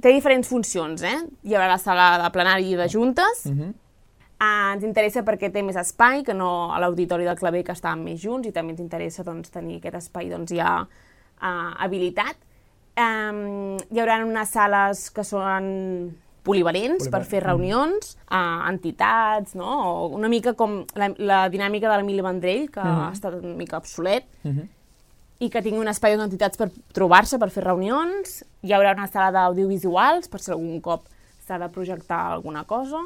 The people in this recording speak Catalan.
té diferents funcions, Hi haurà la sala de plenari i de juntes. Ens interessa perquè té més espai que no a l'auditori del Claver, que estàvem més junts, i també ens interessa tenir aquest espai ja habilitat. Hi haurà unes sales que són polivalents per fer reunions, entitats, no? O una mica com la dinàmica de l'Emili Vendrell, que ha estat una mica obsolet, i que tingui un espai d'entitats per trobar-se, per fer reunions. Hi haurà una sala d'audiovisuals, per si algun cop s'ha de projectar alguna cosa.